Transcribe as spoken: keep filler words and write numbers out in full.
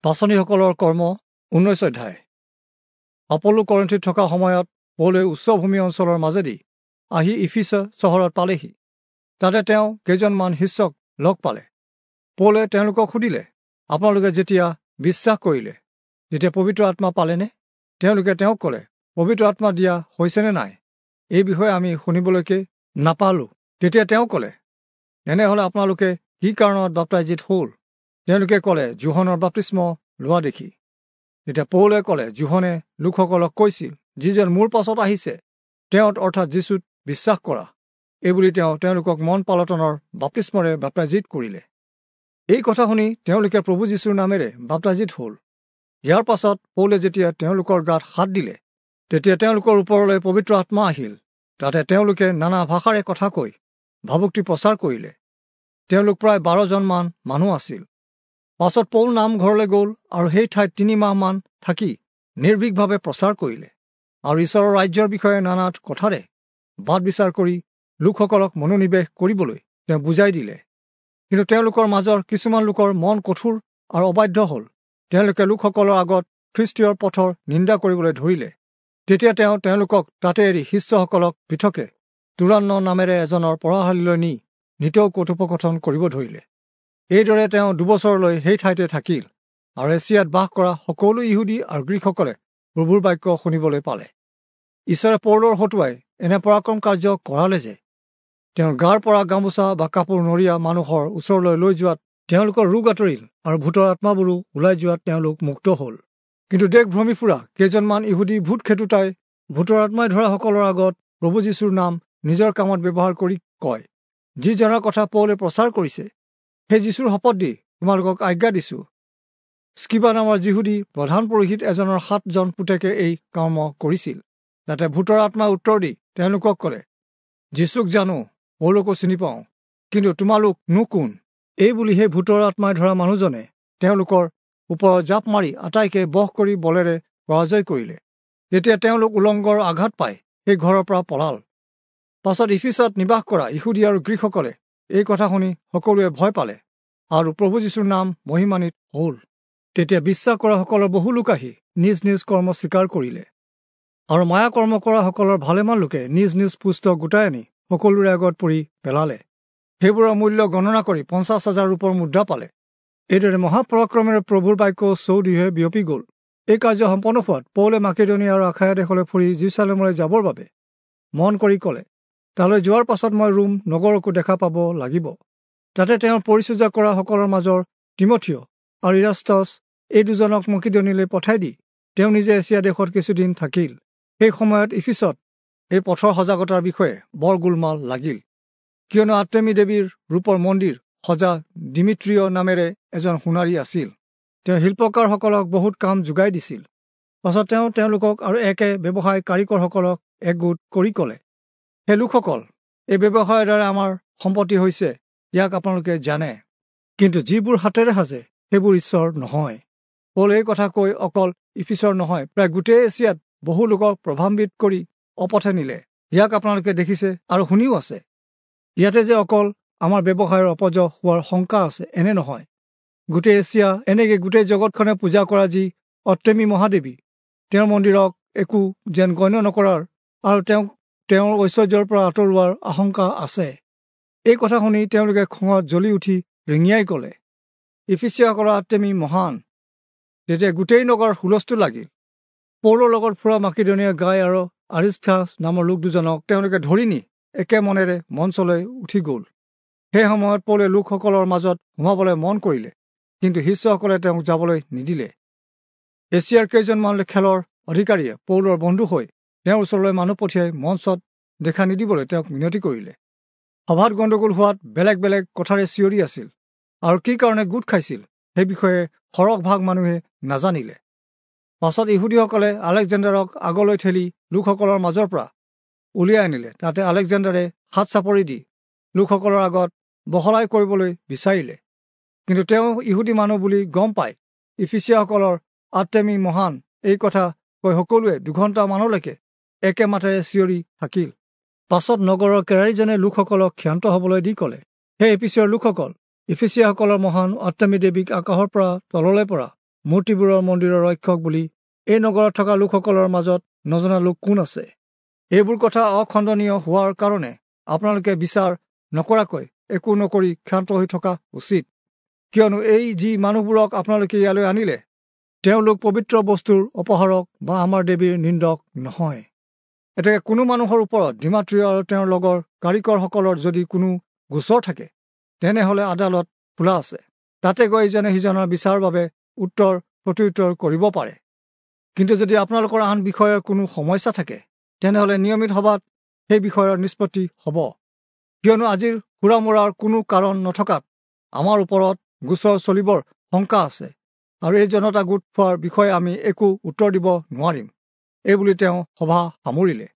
পাঁচনিসকলৰ কৰ্ম ঊনৈশ অধ্যায়। অপল্লো কৰিন্থিত থকা সময়ত পৌলে উচ্চভূমি অঞ্চলৰ মাজেদি আহি ইফিচ চহৰত পালেহি। তাতে তেওঁ কেইজনমান শিষ্যক লগ পালে। পৌলে তেওঁলোকক সুধিলে, আপোনালোকে যেতিয়া বিশ্বাস কৰিলে তেতিয়া পবিত্ৰ আত্মা পালেনে? তেওঁলোকে তেওঁক ক'লে, পবিত্ৰ আত্মা দিয়া হৈছেনে নাই এই বিষয়ে আমি শুনিবলৈকে নাপালোঁ। তেতিয়া তেওঁ ক'লে, তেনেহ'লে আপোনালোকে কি কাৰণত বাপ্তাইজিত হ'ল? তেওঁলোকে ক'লে, যোহনৰ বাপ্তিস্ম লোৱা দেখি। তেতিয়া পৌলে ক'লে, যোহনে লোকসকলক কৈছিল, যিজন মোৰ পাছত আহিছে তেওঁত অৰ্থাৎ যীচুত বিশ্বাস কৰা। এইবুলি তেওঁ তেওঁলোকক মন পালটনৰ বাপ্তিস্মৰে বাপ্তাইজিত কৰিলে। এই কথা শুনি তেওঁলোকে প্ৰভু যীচুৰ নামেৰে বাপ্তাইজিত হ'ল। ইয়াৰ পাছত পৌলে যেতিয়া তেওঁলোকৰ গাত হাত দিলে, তেতিয়া তেওঁলোকৰ ওপৰলৈ পবিত্ৰ আত্মা আহিল। তাতে তেওঁলোকে নানা ভাষাৰে কথা কৈ ভাবুক্তি প্ৰচাৰ কৰিলে। তেওঁলোক প্ৰায় বাৰজনমান মানুহ আছিল। পাছত পৌল নামঘৰলৈ গ'ল আৰু সেই ঠাইত তিনি মাহমান থাকি নিৰ্ভীকভাৱে প্ৰচাৰ কৰিলে আৰু ঈশ্বৰৰ ৰাজ্যৰ বিষয়ে নানা কথাৰে বাদ বিচাৰ কৰি লোকসকলক মনোনিৱেশ কৰিবলৈ তেওঁ বুজাই দিলে। কিন্তু তেওঁলোকৰ মাজৰ কিছুমান লোকৰ মন কঠোৰ আৰু অবাধ্য হ'ল। তেওঁলোকে লোকসকলৰ আগত খ্ৰীষ্টীয়ৰ পথৰ নিন্দা কৰিবলৈ ধৰিলে। তেতিয়া তেওঁ তেওঁলোকক তাতে এৰি শিষ্যসকলক পৃথকে তুৰান্ন নামেৰে এজনৰ পঢ়াশালীলৈ নি নিতৌ কথোপকথন কৰিব ধৰিলে। এইদৰে তেওঁ দুবছৰলৈ সেই ঠাইতে থাকিল আৰু এছিয়াত বাস কৰা সকলো ইহুদী আৰু গ্ৰীকসকলে প্ৰভুৰ বাক্য শুনিবলৈ পালে। ঈশ্বৰে পৌলৰ হতুৱাই এনে পৰাক্ৰম কাৰ্য কৰালে যে তেওঁৰ গাৰ পৰা গামোচা বা কাপোৰ নৰিয়া মানুহৰ ওচৰলৈ লৈ যোৱাত তেওঁলোকৰ ৰোগ আঁতৰিল আৰু ভূতৰ আত্মাবোৰো ওলাই যোৱাত তেওঁলোক মুক্ত হ'ল। কিন্তু দেশ ভ্ৰমি ফুৰা কেইজনমান ইহুদী ভূত খেদোতাই ভূতৰ আত্মাই ধৰাসকলৰ আগত প্ৰভু যীচুৰ নাম নিজৰ কামত ব্যৱহাৰ কৰি কয়, যিজনৰ কথা পৌলে প্ৰচাৰ কৰিছে সেই যীচুৰ শপত দি তোমালোকক আজ্ঞা দিছোঁ। স্কিবা নামৰ যিহুদী প্ৰধান পুৰোহিত এজনৰ সাতজন পুতেকে এই কৰ্ম কৰিছিল। তাতে ভূতৰ আত্মাই উত্তৰ দি তেওঁলোকক ক'লে, যীচুক জানো, পৌলকো চিনি পাওঁ, কিন্তু তোমালোক নো কোন? এই বুলি সেই ভূতৰ আত্মাই ধৰা মানুহজনে তেওঁলোকৰ ওপৰত জাপ মাৰি আটাইকে বশ কৰি বলেৰে পৰাজয় কৰিলে। তেতিয়া তেওঁলোক উলংগৰ আঘাত পাই সেই ঘৰৰ পৰা পলাল। পাছত ইফিচত নিবাস কৰা ইহুদী আৰু গ্ৰীকসকলে এই কথা শুনি সকলোৱে ভয় পালে আৰু প্ৰভু যীচুৰ নাম মহিমান্বিত হ'ল। তেতিয়া বিশ্বাস কৰাসকলৰ বহু লোক আহি নিজ নিজ কৰ্ম স্বীকাৰ কৰিলে আৰু মায়া কৰ্ম কৰাসকলৰ ভালেমান লোকে নিজ নিজ পুস্তক গোটাই আনি সকলোৰে আগত পৰি পেলালে। সেইবোৰৰ মূল্য গণনা কৰি পঞ্চাছ হাজাৰ ৰূপৰ মুদ্ৰা পালে। এইদৰে মহাপৰাক্ৰমেৰে প্ৰভুৰ বাক্য চৌদিশে বিয়পি গ'ল। এই কাৰ্য সম্পন্ন হোৱাত পৌলে মাকেদনীয়া আৰু আখায়া দেশলৈ ফুৰি যিৰূচালেমলৈ যাবৰ বাবে মন কৰি ক'লে, তালৈ যোৱাৰ পাছত মই ৰোম নগৰকো দেখা পাব লাগিব। তাতে তেওঁৰ পৰিচৰ্যা কৰাসকলৰ মাজৰ তিমথিয় আৰু ইৰাস্তছ এই দুজনক মকিদনীলৈ পঠাই দি তেওঁ নিজে এছিয়া দেশত কিছুদিন থাকিল। সেই সময়ত ইফিচত এই পথৰ সজাগতাৰ বিষয়ে বৰ গোলমাল লাগিল, কিয়নো আৰ্তেমী দেৱীৰ ৰূপৰ মন্দিৰ সজা ডিমিট্ৰিয় নামেৰে এজন সোণাৰী আছিল। তেওঁ শিল্পকাৰসকলক বহুত কাম যোগাই দিছিল। পাছত তেওঁ তেওঁলোকক আৰু একে ব্যৱসায় কাৰিকৰসকলক একগোট কৰি ক'লে, হে লোকসকল, এই ব্যৱসায়ৰ দ্বাৰা আমাৰ সম্পত্তি হৈছে, ইয়াক আপোনালোকে জানে। কিন্তু যিবোৰ হাতেৰে সাজে সেইবোৰ ঈশ্বৰ নহয়। পৌলে এই কথা কৈ অকল ইফিচৰ নহয়, প্ৰায় গোটেই এছিয়াত বহু লোকক প্ৰভাৱান্বিত কৰি অপথে নিলে। ইয়াক আপোনালোকে দেখিছে আৰু শুনিও আছে। ইয়াতে যে অকল আমাৰ ব্যৱসায়ৰ অপযশ হোৱাৰ শংকা আছে এনে নহয়, গোটেই এছিয়া এনেকৈ গোটেই জগতখনে পূজা কৰা যি অৰ্তেমী মহাদেৱী, তেওঁৰ মন্দিৰক একো যেন গণ্য নকৰাৰ আৰু তেওঁক তেওঁৰ ঐশ্বৰ্যৰ পৰা আঁতৰোৱাৰ আশংকা আছে। এই কথা শুনি তেওঁলোকে খঙত জ্বলি উঠি ৰিঙিয়াই ক'লে, ইফিচীয়াসকলৰ আৰ্তেমী মহান। তেতিয়া গোটেই নগৰ হুলস্থুল লাগিল। পৌলৰ লগত ফুৰা মাকিদনীয়াৰ গাই আৰু আৰিষ্টাৰ্খাছ নামৰ লোক দুজনক তেওঁলোকে ধৰি নি একে মনেৰে মঞ্চলৈ উঠি গ'ল। সেই সময়ত পৌলে লোকসকলৰ মাজত সোমাবলৈ মন কৰিলে, কিন্তু শিষ্যসকলে তেওঁক যাবলৈ নিদিলে। এছিয়াৰ কেইজনমান খেলৰ অধিকাৰীয়ে পৌলৰ বন্ধু হৈ তেওঁৰ ওচৰলৈ মানুহ পঠিয়াই মঞ্চত দেখা নিদিবলৈ তেওঁক মিনতি কৰিলে। সভাত গণ্ডগোল হোৱাত বেলেগ বেলেগ কথাৰে চিঞৰি আছিল আৰু কি কাৰণে গোট খাইছিল সেই বিষয়ে সৰহভাগ মানুহে নাজানিলে। পাছত ইহুদীসকলে আলেকজেণ্ডাৰক আগলৈ ঠেলি লোকসকলৰ মাজৰ পৰা উলিয়াই আনিলে। তাতে আলেকজেণ্ডাৰে হাত চাপৰি দি লোকসকলৰ আগত বহলাই কৰিবলৈ বিচাৰিলে, কিন্তু তেওঁ ইহুদী মানুহ বুলি গম পাই ইফিচীয়াসকলৰ আৰ্তেমী মহান এই কথা কৈ সকলোৱে দুঘণ্টামানলৈকে একে মাতেৰে চিঞৰি থাকিল। পাছত নগৰৰ কেৰাৰীজনে লোকসকলক ক্ষান্ত হ'বলৈ দি ক'লে, হে ইফিচীয়ৰ লোকসকল, ইফিচীয়াসকলৰ মহান আৰ্তেমী দেৱীক আকাশৰ পৰা তললৈ পৰা মূৰ্তিবোৰৰ মন্দিৰৰ ৰক্ষক বুলি এই নগৰত থকা লোকসকলৰ মাজত নজনা লোক কোন আছে? এইবোৰ কথা অখণ্ডনীয় হোৱাৰ কাৰণে আপোনালোকে বিচাৰ নকৰাকৈ একো নকৰি ক্ষান্ত হৈ থকা উচিত। কিয়নো এই যি মানুহবোৰক আপোনালোকে ইয়ালৈ আনিলে, তেওঁলোক পবিত্ৰ বস্তুৰ অপহাৰক বা আমাৰ দেৱীৰ নিন্দক নহয়। এতেকে কোনো মানুহৰ ওপৰত ডিমাত্ৰিয় আৰু তেওঁৰ লগৰ কাৰিকৰসকলৰ যদি কোনো গোচৰ থাকে, তেনেহ'লে আদালত খোলা আছে, তাতে গৈ ইজনে সিজনৰ বিচাৰৰ বাবে উত্তৰ প্ৰত্যুত্তৰ কৰিব পাৰে। কিন্তু যদি আপোনালোকৰ আন বিষয়ৰ কোনো সমস্যা থাকে, তেনেহ'লে নিয়মিত সভাত সেই বিষয়ৰ নিষ্পত্তি হ'ব। কিয়নো আজিৰ হুৰামুৰাৰ কোনো কাৰণ নথকাত আমাৰ ওপৰত গোচৰ চলিবৰ শংকা আছে, আৰু এই জনতা গোট খোৱাৰ বিষয়ে আমি একো উত্তৰ দিব নোৱাৰিম। এইবুলি তেওঁ সভা সামৰিলে।